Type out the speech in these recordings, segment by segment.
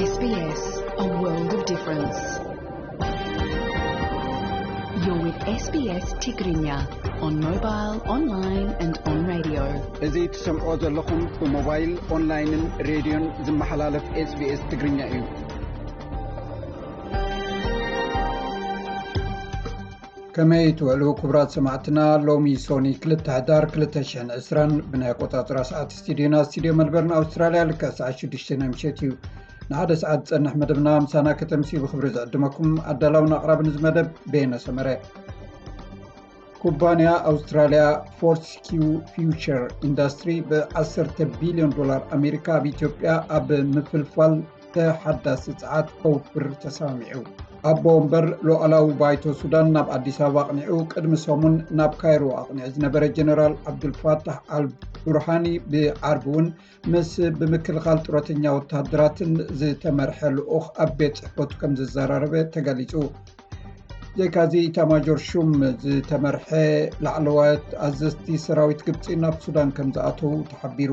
S B S, a world of difference. You're with S B S Tigrinya on mobile, online and on radio. እዚ ትሰምዖ ዘለኹም ብሞባይል፣ ኦንላይንን ሬድዮን ዝመሓላለፍ S B S ትግርኛ እዩ። ከመይ ትውዕሉ ክቡራት ሰማዕትና? ሎሚ ሶኒ ክልተ ሕዳር ክልተ ሽሕን ዕስራን ብናይ ኣቆጻጽራ ሰዓት ስቱዲዮና፣ ስቱዲዮ መልበርን ኣውስትራልያ፣ ልክዕ ሰዓት ሽዱሽተ ናይ ምሸት እዩ። ንሓደ ሰዓት ዝጸንሕ መደብና ምሳና ከተምሲ ብኽብሪ ዝዕድመኩም ኣዳላውን ኣቕራብን እዚ መደብ በየነ ሰመረ። ኩባንያ ኣውስትራልያ ፎርትስኪው ፊውቸር ኢንዳስትሪ ብዓሰርተ ቢልዮን ዶላር ኣሜሪካ ኣብ ኢትዮጵያ ኣብ ምፍልፋል ተሓዳሲ ጸዓት ከውፍር ተሰማሚዑ። ኣቦ ወንበር ሉዓላዊ ባይቶ ሱዳን ናብ ኣዲስ ኣበባ ኣቕኒዑ፣ ቅድሚ ሰሙን ናብ ካይሮ ኣቕኒዑ ዝነበረ ጀነራል ዓብዱልፋታሕ ኣል ቡርሃኒ ብዓርቢ እውን ምስ ብምክልኻል ጡረተኛ ወተሃደራትን ዝተመርሐ ልኡኽ ኣብ ቤት ጽሕፈቱ ከም ዘዘራረበ ተገሊጹ። ብዘይካዚ ኢታማጆር ሹም ዝተመርሐ ላዕለዋት ኣዘዝቲ ሰራዊት ግብጺ ናብ ሱዳን ከም ዝኣተዉ ተሓቢሩ።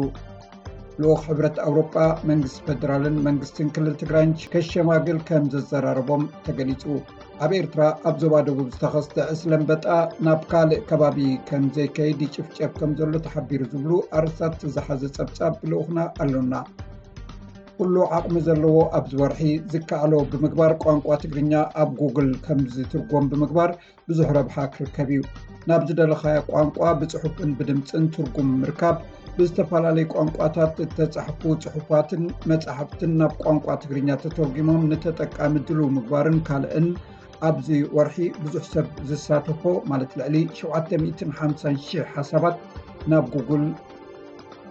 ልኡኽ ሕብረት ኣውሮጳ መንግስቲ ፌደራልን መንግስትን ክልል ትግራይን ከሸማግል ከም ዘዘራረቦም ተገሊጹ። ኣብ ኤርትራ ኣብ ዞባ ደቡብ ዝተኸስተ ዕስለ ኣንበጣ ናብ ካልእ ከባቢ ከም ዘይከይድ ይጭፍጨፍ ከም ዘሎ ተሓቢሩ ዝብሉ ኣርእስታት ዝሓዘ ጸብጻብ ብልኡኽና ኣሎና። ኩሉ ዓቕሚ ዘለዎ ኣብዚ ወርሒ ዝከኣሎ ብምግባር ቋንቋ ትግርኛ ኣብ ጉግል ከም ዝትርጎም ብምግባር ብዙሕ ረብሓ ክርከብ እዩ። ናብ ዝደለኻዮ ቋንቋ ብጽሑፍን ብድምጽን ትርጉም ምርካብ፣ ብዝተፈላለዩ ቋንቋታት እተጻሕፉ ጽሑፋትን መጻሕፍትን ናብ ቋንቋ ትግርኛ ተተርጒሞም ንተጠቃሚ ድሉው ምግባርን ካልእን ኣብዚ ወርሒ ብዙሕ ሰብ ዝሳተፎ፣ ማለት ልዕሊ ሸውዓተ ሚእትን ሓምሳን ሽሕ ሓሳባት ናብ ጉግል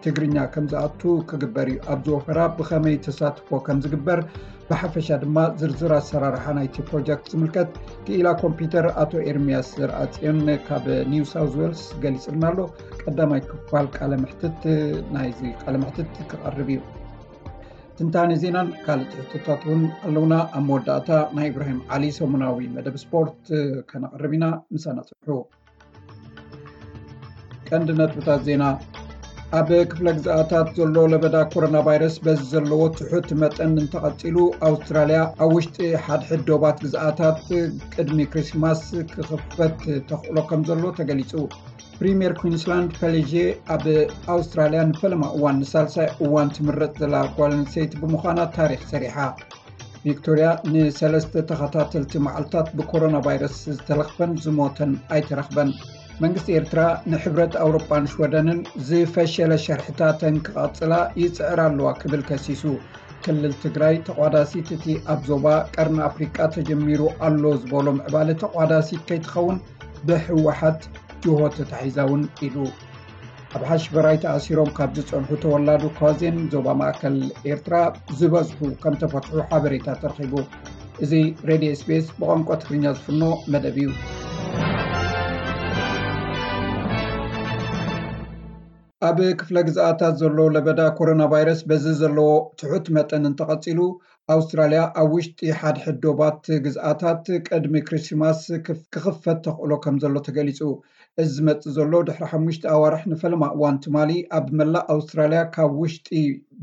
ትግርኛ ከም ዝኣቱ ክግበር እዩ። ኣብዚ ወፈራ ብኸመይ ተሳትፎ ከም ዝግበር፣ ብሓፈሻ ድማ ዝርዝር ኣሰራርሓ ናይቲ ፕሮጀክት ዝምልከት ክኢላ ኮምፒውተር ኣቶ ኤርሚያስ ዘርኣጽዮን ካብ ኒው ሳውዝ ዌልስ ገሊጽልና ኣሎ። ቀዳማይ ክፋል ቃለ መሕትት ናይዚ ቃለ መሕትት ክቐርብ እዩ። ትንታነ ዜናን ካልእ ትሕቶታት እውን ኣለውና። ኣብ መወዳእታ ናይ ኢብራሂም ዓሊ ሰሙናዊ መደብ ስፖርት ከነቕርብ ኢና። ምሳና ጽንሑ። ቀንዲ ነጥብታት ዜና። ኣብ ክፍለ ግዝኣታት ዘሎ ለበዳ ኮሮና ቫይረስ በዚ ዘለዎ ትሑት መጠን እንተቐጺሉ፣ ኣውስትራልያ ኣብ ውሽጢ ሓድሕድ ዶባት ግዝኣታት ቅድሚ ክሪስማስ ክኽፈት ተኽእሎ ከም ዘሎ ተገሊጹ። ፕሪምየር ኩዊንስላንድ ፐሌሼ ኣብ ኣውስትራልያ ንፈለማ እዋን ንሳልሳይ እዋን ትምረጽ ዘላ ጓል ኣንስተይቲ ብምዃና ታሪኽ ሰሪሓ። ቪክቶርያ ንሰለስተ ተኸታተልቲ መዓልታት ብኮሮና ቫይረስ ዝተለኽፈን ዝሞተን ኣይተረኽበን። መንግስቲ ኤርትራ ንሕብረት ኣውሮጳን ሽወደንን ዝፈሸለ ሸርሕታተን ክቐጽላ ይጽዕር ኣለዋ ክብል ከሲሱ። ክልል ትግራይ ተቋዳሲት እቲ ኣብ ዞባ ቀርኒ ኣፍሪቃ ተጀሚሩ ኣሎ ዝበሎ ምዕባለ ተቋዳሲት ከይትኸውን ብህወሓት ጅሆ ተታሒዛ እውን ኢሉ። ኣብ ሓሽበራይ ተኣሲሮም ካብ ዝጸንሑ ተወላዱ ኳዜን ዞባ ማእከል ኤርትራ ዝበዝሑ ከም ተፈትሑ ሓበሬታ ተረኺቡ። እዚ ሬድዮ ኤስቢኤስ ብቋንቋ ትግርኛ ዝፍኖ መደብ እዩ። ኣብ ክፍለ ግዝኣታት ዘሎ ለበዳ ኮሮና ቫይረስ በዚ ዘለዎ ትሑት መጠን እንተቐጺሉ፣ ኣውስትራልያ ኣብ ውሽጢ ሓድሕድ ዶባት ግዝኣታት ቅድሚ ክሪስማስ ክፍ-፣ ክኽፈት ተኽእሎ ከም ዘሎ ተገሊጹ። እዚ ዝመጽእ ዘሎ ድሕሪ ሓሙሽተ ኣዋርሕ ንፈለማ እዋን ትማሊ ኣብ መላእ ኣውስትራልያ ካብ ውሽጢ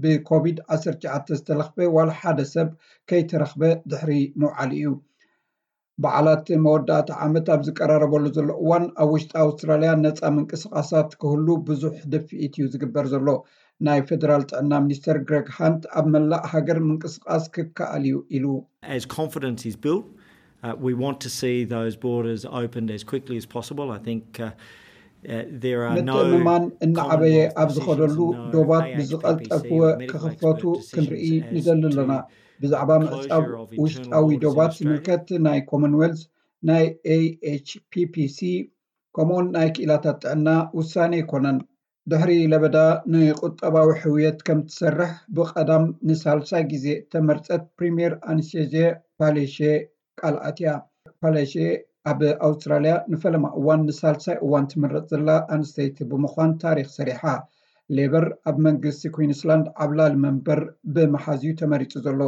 ብኮቪድ ዓሰርተ ትሽዓተ ዝተለኽፈ ዋላ ሓደ ሰብ ከይተረኽበ ድሕሪ ምውዓሉ እዩ። በዓላት መወዳእታ ዓመት ኣብ ዝቀራረበሉ ዘሎ እዋን፣ ኣብ ውሽጢ ኣውስትራልያ ነጻ ምንቅስቓሳት ክህሉ ብዙሕ ድፍኢት እዩ ዝግበር ዘሎ። ናይ ፌደራል ጥዕና ሚኒስተር ግሬግ ሃንት ኣብ መላእ ሃገር ምንቅስቓስ ክከኣል እዩ ኢሉ። As confidence is built, uh, we want to see those borders opened as quickly as possible. I think, uh, uh, there are no ምትእምማን እናዓበየ ኣብ ዝኸደሉ ዶባት ብዝቐልጠፍወ ክኽፈቱ ክንርኢ ንደሊ ኣለና። ብዛዕባ ምዕጻው ውሽጣዊ ዶባት ዝምልከት ናይ ኮመንዌልዝ፣ ናይ ኤኤችፒፒሲ፣ ከምኡውን ናይ ክኢላታት ጥዕና ውሳኔ ኣይኮነን። ድሕሪ ለበዳ ንቁጠባዊ ሕውየት ከም ትሰርሕ ብቐዳም ንሳልሳይ ግዜ እተመርጸት ፕሪምየር ኣንስቴዜ ፓሌሼ ቃል ኣትያ። ፓሌሼ ኣብ ኣውስትራልያ ንፈለማ እዋን ንሳልሳይ እዋን ትምረጽ ዘላ ኣንስተይቲ ብምዃን ታሪኽ ሰሪሓ። ሌበር ኣብ መንግስቲ ኩዊንስላንድ ዓብላሊ መንበር ብምሓዝ እዩ ተመሪጹ ዘሎ።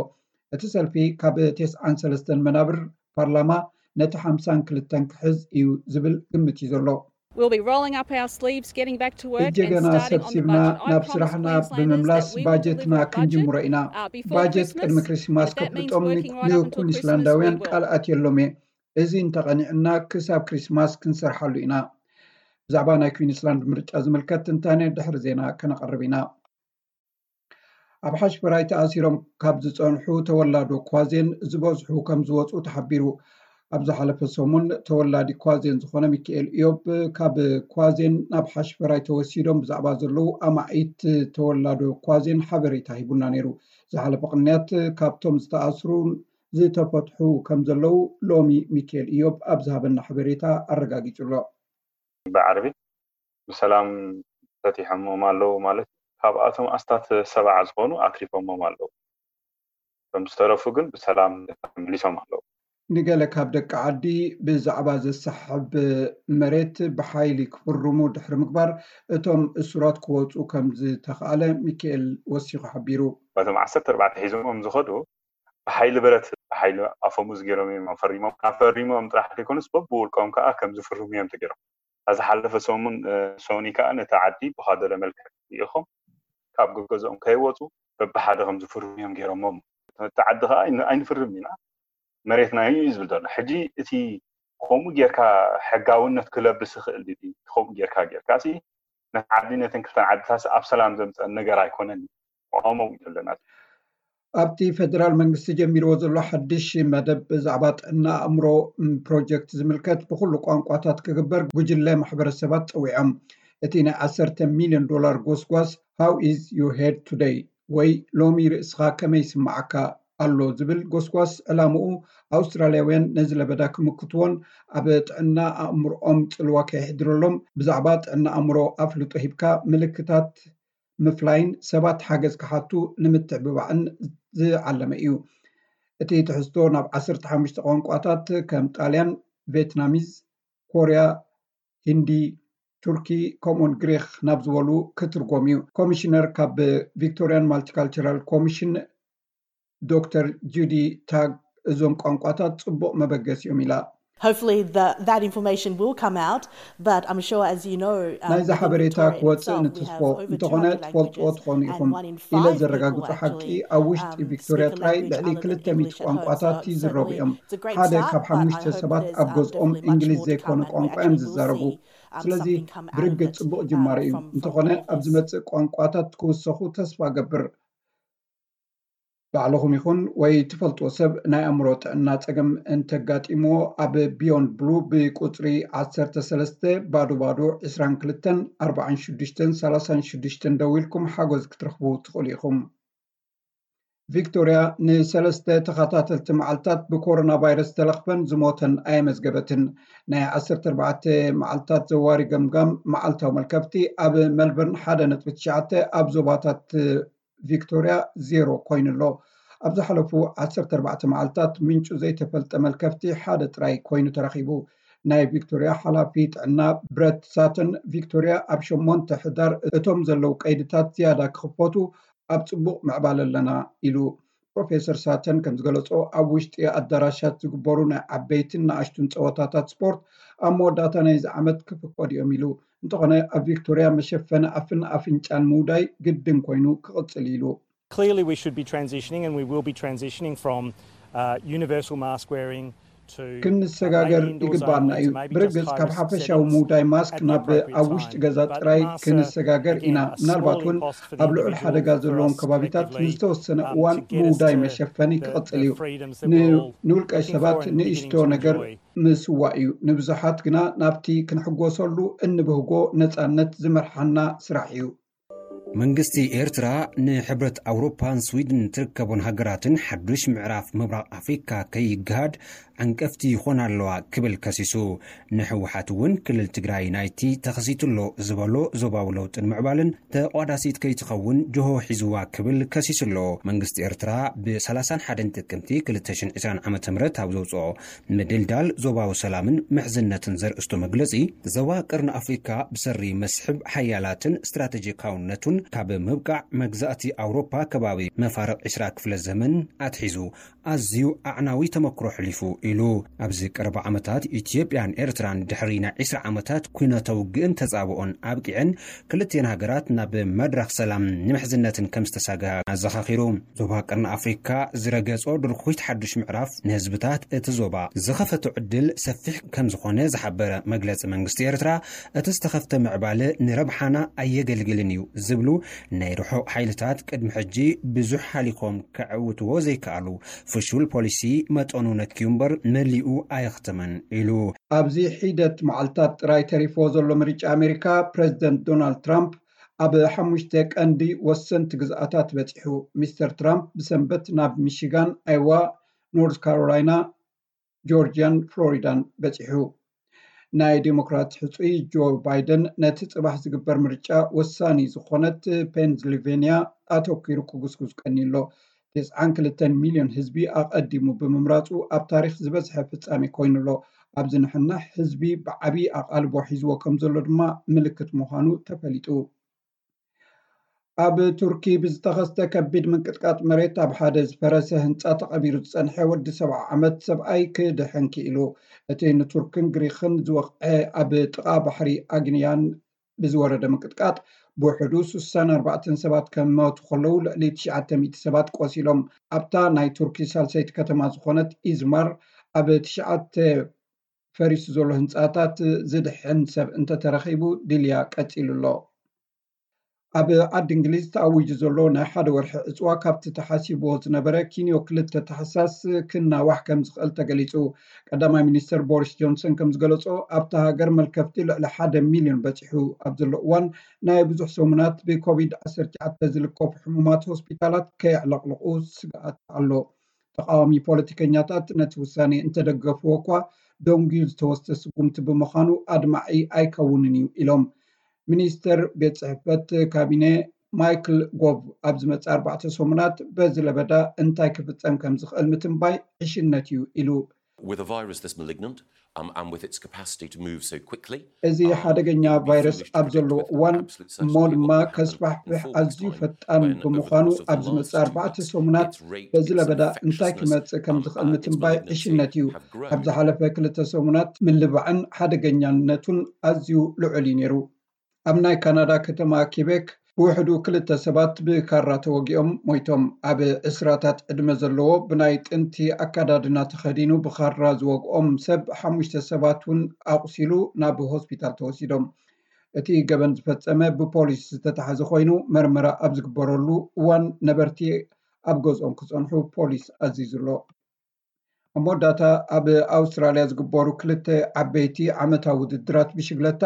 እቲ ሰልፊ ካብ ተስዓን ሰለስተን መናብር ፓርላማ ነቲ ሓምሳን ክልተን ክሕዝ እዩ ዝብል ግምት እዩ ዘሎ። We'll be rolling up our sleeves, getting back to work and እጀገና starting on the ሰብሲብና budget. I ናብ promised ስራሕና Queenslanders that ብምምላስ we would ባጀትና budget, ክንጅምሮ uh, ኢና። before ባጀት Christmas, ቅድሚ ክሪስማስ but that means ከፍልጦም working right up until Christmas. ንኩንስላንዳውያን We will. ቃል ኣትየሎም እየ። እዚ እንተቐኒዕና ክሳብ ክሪስማስ ክንሰርሓሉ ኢና። ብዛዕባ ናይ ኩንስላንድ ምርጫ ዝምልከት ትንታነ ድሕሪ ዜና ከነቐርብ ኢና። ኣብ ሓሽፈራይ ተኣሲሮም ካብ ዝጸንሑ ተወላዶ ኳዜን ዝበዝሑ ከም ዝወጹ ተሓቢሩ። ኣብ ዝሓለፈ ሰሙን ተወላዲ ኳዜን ዝኾነ ሚካኤል ኢዮብ ካብ ኳዜን ናብ ሓሽፈራይ ተወሲዶም ብዛዕባ ዘለዉ ኣማኢት ተወላዶ ኳዜን ሓበሬታ ሂቡና ነይሩ። ዝሓለፈ ቅንያት ካብቶም ዝተኣስሩ ዝተፈትሑ ከም ዘለዉ ሎሚ ሚካኤል ኢዮብ ኣብ ዝሃበና ሓበሬታ ኣረጋጊጹ ኣሎ። ብዓርቢ ብሰላም ፈቲሖሞም ኣለዉ ማለት እዩ። ካብኣቶም ኣስታት ሰብዓ ዝኾኑ ኣትሪፎሞም ኣለዉ። እቶም ዝተረፉ ግን ብሰላም ተመሊሶም ኣለዉ። ንገለ ካብ ደቂ ዓዲ ብዛዕባ ዘሰሕብ መሬት ብሓይሊ ክፍርሙ ድሕሪ ምግባር እቶም እሱራት ክወፁ ከም ዝተኽኣለ ሚካኤል ወሲኹ ሓቢሩ። በቶም ዓሰርተ ኣርባዕተ ሒዞሞም ዝኸዱ ብሓይሊ ብረት፣ ብሓይሊ ኣፈሙዝ ገይሮም እዮም ፈሪሞም። ናብ ፈሪሞም ጥራሕ ዘይኮኑስ በብውልቆም ከዓ ከም ዝፍርሙ እዮም ተገይሮም። ኣብ ዝሓለፈ ሰሙን ሶኒ ከዓ ነቲ ዓዲ ብኻደረ መልክዕ ኢኹም ካብ ገገዝኦም ከይወፁ በብሓደ ከም ዝፍርሙ እዮም ገይሮሞም። እቲ ዓዲ ከዓ ኣይን- ኣይንፍርም ኢና፣ መሬትና እዩ እዩ ዝብል ዘሎ። ሕጂ እቲ ከምኡ ጌርካ ሕጋውነት ክለብስ ይኽእል ድዩ? ከምኡ ጌርካ ጌርካ ሲ ነቲ ዓዲ ነተን ክልተን ዓድታት ኣብ ሰላም ዘምፀን ነገር ኣይኮነን። ቆሞ ዘለና ኣብቲ ፌደራል መንግስቲ ጀሚርዎ ዘሎ ሓድሽ መደብ ብዛዕባ ጥዕና ኣእምሮ ፕሮጀክት ዝምልከት ብኩሉ ቋንቋታት ክግበር ጉጅለ ማሕበረሰባት ፀዊዖም። እቲ ናይ ዓሰርተ ሚሊዮን ዶላር ጎስጓስ How is your head today ወይ ሎሚ ርእስኻ ከመይ ይስምዓካ ኣሎ ዝብል ጎስጓስ ዕላምኡ ኣውስትራልያውያን ነዚ ለበዳ ክምክትዎን ኣብ ጥዕና ኣእምሮኦም ፅልዋ ከየሕድረሎም ብዛዕባ ጥዕና ኣእምሮ ኣፍልጦ ሂብካ ምልክታት ምፍላይን ሰባት ሓገዝ ክሓቱ ንምትዕብባዕን ዝዓለመ እዩ። እቲ ትሕዝቶ ናብ ዓሰርተ ሓሙሽተ ቋንቋታት ከም ጣልያን፣ ቬትናሚዝ፣ ኮርያ፣ ሂንዲ፣ ቱርኪ ከምኡውን ግሪክ ናብ ዝበሉ ክትርጎም እዩ። ኮሚሽነር ካብ ቪክቶሪያን ማልቲካልቸራል ኮሚሽን ዶክተር ጁዲ ታግ እዞም ቋንቋታት ፅቡቕ መበገሲ እዮም ኢላ። Hopefully the, that information will come out, but I'm sure, as you know, um, ናይዚ within ሓበሬታ Victoria ክወፅእ itself, we have ንትስፎ over እንተኾነ two hundred ትፈልጥዎ languages, ትኾኑ and ኢኹም one in ኢለ five ዘረጋግፁ people ሓቂ actually, ኣብ ውሽጢ um, ቪክቶሪያ speak a ጥራይ language ልዕሊ other than ክልተ ሚእቲ English at home. ቋንቋታት So ይዝረቡ certainly እዮም። it's a great ሓደ start, ካብ but I ሓሙሽተ hope ሰባት there's, ኣብ um, ገዝኦም definitely much እንግሊዝ more to ዘይኮነ come, and we ቋንቋ እዮም actually will ዝዛረቡ። see, um, ስለዚ something come out of ብርግፅ it. ፅቡቕ Um, ጅማሬ እዩ። from, from እንተኾነ what it ኣብ is. ዝመፅእ ቋንቋታት ክውሰኹ ተስፋ ገብር። ባዕልኹም ይኹን ወይ ትፈልጥዎ ሰብ ናይ ኣእምሮ ጥዕና ጸገም እንተጋጢምዎ ኣብ ቢዮንድ ብሉ ብቁጽሪ ዓሰርተ ሰለስተ ባዶ ባዶ ዕስራን ክልተን ኣርባዓን ሽዱሽተን ሰላሳን ሽዱሽተን ደዊልኩም ሓጎዝ ክትረኽቡ ትኽእሉ ኢኹም። ቪክቶርያ ንሰለስተ ተኸታተልቲ መዓልታት ብኮሮና ቫይረስ ዝተለኽፈን ዝሞተን ኣየመዝገበትን። ናይ ዓሰርተ ኣርባዕተ መዓልታት ዘዋሪ ገምጋም መዓልታዊ መልከፍቲ ኣብ መልበርን ሓደ ነጥቢ ትሽዓተ ኣብ ዞባታት ቪክቶርያ ዜሮ ኮይኑ ኣሎ። ኣብ ዝሓለፉ ዓሰርተ ኣርባዕተ መዓልታት ምንጩ ዘይተፈልጠ መልከፍቲ ሓደ ጥራይ ኮይኑ ተረኺቡ። ናይ ቪክቶርያ ሓላፊ ጥዕና ብረት ሳተን ቪክቶርያ ኣብ ሸሞንተ ሕዳር እቶም ዘለዉ ቀይድታት ዝያዳ ክኽፈቱ ኣብ ጽቡቕ ምዕባለ ኣለና ኢሉ። ፕሮፌሰር ሳተን ከም ዝገለጾ ኣብ ውሽጢ ኣዳራሻት ዝግበሩ ናይ ዓበይትን ንኣሽቱን ጸወታታት ስፖርት ኣብ መወዳእታ ናይዚ ዓመት ክፍቀዱ እዮም ኢሉ። እንተኾነ ኣብ ቪክቶርያ መሸፈኒ ኣፍን ኣፍንጫን ምውዳይ ግድን ኮይኑ ክቕጽል ኢሉ። Clearly, we should be transitioning, and we will be transitioning from uh, universal mask wearing to ክንሰጋገር ይግባና እዩ። ብርግጽ ካብ ሓፈሻዊ ምውዳይ ማስክ ናብ ኣብ ውሽጢ ገዛ ጥራይ ክንሰጋገር ኢና። ምናልባት እውን ኣብ ልዑል ሓደጋ ዘለዎም ከባቢታት ንዝተወሰነ እዋን ምውዳይ መሸፈኒ ክቕጽል እዩ። ንውልቀ ሰባት ንእሽቶ ነገር ምስዋእ እዩ። ንብዙሓት ግና ናብቲ ክንሕጎሰሉ እንብህጎ ነጻነት ዝመርሓና ስራሕ እዩ። መንግስቲ ኤርትራ ንሕብረት ኣውሮፓን ስዊድን ትርከቦን ሃገራትን ሓዱሽ ምዕራፍ ምብራቕ ኣፍሪካ ከይገሃድ ዕንቀፍቲ ይኾና ኣለዋ ክብል ከሲሱ። ንህወሓት እውን ክልል ትግራይ ናይቲ ተኸሲቱ ኣሎ ዝበሎ ዞባዊ ለውጥን ምዕባልን ተቋዳሲት ከይትኸውን ጅሆ ሒዝዋ ክብል ከሲሱ ኣሎ። መንግስቲ ኤርትራ ብ ሰላሳን ሓደን ጥቅምቲ ክልተ ሽሕን ዕስራን ዓመተ ምህረት ኣብ ዘውፅኦ ምድልዳል ዞባዊ ሰላምን ምሕዝነትን ዘርእስቶ መግለፂ፣ ዞባ ቀርኒ ኣፍሪካ ብሰሪ መስሕብ ሓያላትን ስትራቴጂካውነቱን ካብ ምብቃዕ መግዛእቲ ኣውሮፓ ከባቢ መፋርቕ ዕስራ ክፍለ ዘመን ኣትሒዙ ኣዝዩ ኣዕናዊ ተመክሮ ኣሕሊፉ ኢሉ። ኣብዚ ቀረባ ዓመታት ኢትዮጵያን ኤርትራን ድሕሪ ናይ ዕስራ ዓመታት ኲናታዊ ውግእን ተጻብኦን ኣብቂዐን ክልቲኤን ሃገራት ናብ መድረኽ ሰላም ንምሕዝነትን ከም ዝተሳገሃ ኣዘኻኺሩ። ዞባ ቀርኒ ኣፍሪካ ዝረገጾ ድርኩይት ሓዱሽ ምዕራፍ ንህዝብታት እቲ ዞባ ዝኸፈቶ ዕድል ሰፊሕ ከም ዝኾነ ዝሓበረ መግለጺ መንግስቲ ኤርትራ፣ እቲ ዝተኸፍተ ምዕባለ ንረብሓና ኣየገልግልን እዩ ዝብሉ ናይ ርሑቕ ሓይልታት ቅድሚ ሕጂ ብዙሕ ሃሊኮም ከዕውትዎ ዘይከኣሉ ፍሹል ፖሊሲ መጠኑ ነክዩ እምበር መሊኡ ኣየኽተመን ኢሉ። ኣብዚ ሒደት መዓልታት ጥራይ ተሪፍዎ ዘሎ ምርጫ ኣሜሪካ፣ ፕረዚደንት ዶናልድ ትራምፕ ኣብ ሓሙሽተ ቀንዲ ወሰንቲ ግዝኣታት በጺሑ። ሚስተር ትራምፕ ብሰንበት ናብ ሚሽጋን፣ ኣይዋ፣ ኖርዝ ካሮላይና፣ ጆርጂያን ፍሎሪዳን በጺሑ። ናይ ዴሞክራት ሕጹይ ጆ ባይደን ነቲ ጽባሕ ዝግበር ምርጫ ወሳኒ ዝኾነት ፔንስልቬንያ ኣተኲሩ ክጉስጉስ ቀንዩ ኣሎ። ተስዓን ክልተን ሚልዮን ህዝቢ ኣቐዲሙ ብምምራጹ ኣብ ታሪኽ ዝበዝሐ ፍጻሜ ኮይኑ ኣሎ። ኣብ ዝንሕናሕ ህዝቢ ብዓቢ ኣቓልቦ ሒዝዎ ከም ዘሎ ድማ ምልክት ምዃኑ ተፈሊጡ። ኣብ ቱርኪ ብዝተኸስተ ከቢድ ምንቅጥቃጥ መሬት ኣብ ሓደ ዝፈረሰ ህንጻ ተቐቢሩ ዝጸንሐ ወዲ ሰብዓ ዓመት ሰብኣይ ክድሕን ክኢሉ። እቲ ንቱርክን ግሪኽን ዝወቕዐ ኣብ ጥቓ ባሕሪ ኣግንያን ብዝወረደ ምንቅጥቃጥ ብውሕዱ ስሳን ኣርባዕተን ሰባት ከመቱ ከለዉ ልዕሊ ትሽዓተ ሚእቲ ሰባት ቆሲሎም። ኣብታ ናይ ቱርኪ ሳልሰይቲ ከተማ ዝኾነት ኢዝማር ኣብ ትሽዓተ ፈሪሱ ዘሎ ህንጻታት ዝድሕን ሰብ እንተተረኺቡ ድልያ ቀጺሉ ኣሎ። ኣብ ዓዲ እንግሊዝ ተኣዊጁ ዘሎ ናይ ሓደ ወርሒ ዕጽዋ ካብቲ ተሓሲብዎ ዝነበረ ኪንዮ ክልተ ታሕሳስ ክናዋሕ ከም ዝኽእል ተገሊጹ። ቀዳማይ ሚኒስተር ቦሪስ ጆንሰን ከም ዝገለጾ ኣብታ ሃገር መልከፍቲ ልዕሊ ሓደ ሚልዮን በጺሑ ኣብ ዘሎ እዋን ናይ ብዙሕ ሰሙናት ብኮቪድ ዓሰርተ ትሽዓተ ዝልከፉ ሕሙማት ሆስፒታላት ከየዕለቕልቑ ስግኣት ኣሎ። ተቃዋሚ ፖለቲከኛታት ነቲ ውሳኔ እንተደገፍዎ እኳ ደንጉዩ ዝተወስደ ስጉምቲ ብምዃኑ ኣድማዒ ኣይከውንን እዩ ኢሎም። ሚኒስተር ቤት ጽሕፈት ካቢነ ማይክል ጎቭ ኣብ ዝመጽእ ኣርባዕተ ሰሙናት በዚ ለበዳ እንታይ ክፍጸም ከም ዝኽእል ምትንባይ ዕሽነት እዩ ኢሉ። With a virus this malignant, um, and with its capacity to move so quickly, እዚ ሓደገኛ ቫይረስ ኣብ ዘለዎ እዋን እሞ ድማ ከስፋሕፍሕ ኣዝዩ ፈጣን ብምዃኑ ኣብ ዝመጽእ ኣርባዕተ ሰሙናት በዚ ለበዳ እንታይ ክመጽእ ከም ዝኽእል ምትንባይ ዕሽነት እዩ። ኣብ ዝሓለፈ ክልተ ሰሙናት ምልባዕን ሓደገኛነቱን ኣዝዩ ልዑል እዩ ነይሩ። ኣብ ናይ ካናዳ ከተማ ኪቤክ ብውሕዱ ክልተ ሰባት ብካራ ተወጊኦም ሞይቶም። ኣብ ዕስራታት ዕድመ ዘለዎ ብናይ ጥንቲ ኣካዳድና ተኸዲኑ ብኻራ ዝወግኦም ሰብ ሓሙሽተ ሰባት እውን ኣቑሲሉ ናብ ሆስፒታል ተወሲዶም። እቲ ገበን ዝፈጸመ ብፖሊስ ዝተታሕዘ ኮይኑ መርመራ ኣብ ዝግበረሉ እዋን ነበርቲ ኣብ ገዝኦም ክጸንሑ ፖሊስ ኣዚዙ ኣሎ። ኣብ መወዳእታ ኣብ ኣውስትራልያ ዝግበሩ ክልተ ዓበይቲ ዓመታዊ ውድድራት ብሽግለታ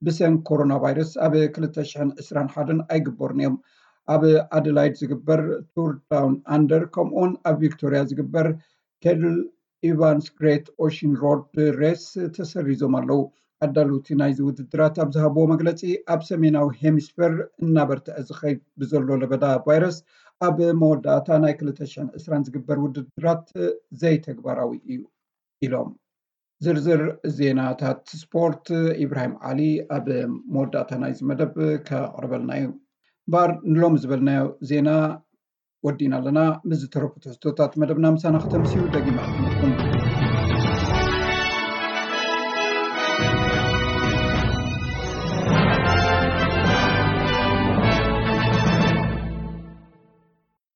ብሰንኪ ኮሮና ቫይረስ ኣብ ክልተ ሽሕን ዕስራን ሓደን ኣይግበሩን እዮም። ኣብ ኣደላይድ ዝግበር ቱር ዳውን ኣንደር ከምኡውን ኣብ ቪክቶርያ ዝግበር ቴድል ኢቫንስ ግሬት ኦሽን ሮድ ሬስ ተሰሪዞም ኣለዉ። ኣዳለውቲ ናይዚ ውድድራት ኣብ ዝሃብዎ መግለጺ ኣብ ሰሜናዊ ሄሚስፌር እናበርትዐ ዝኸይድ ብዘሎ ለበዳ ቫይረስ ኣብ መወዳእታ ናይ ክልተ ሽሕን ዕስራን ዝግበር ውድድራት ዘይተግባራዊ እዩ ኢሎም። ዝርዝር ዜናታት ስፖርት ኢብራሂም ዓሊ ኣብ መወዳእታ ናይዚ መደብ ከቕርበልና እዩ። እምበኣር ንሎሚ ዝበልናዮ ዜና ወዲእና ኣለና። ምስ ዝተረፉ ትሕዝቶታት መደብና ምሳና ክተምስዩ ደጊመ ዕድመኩም።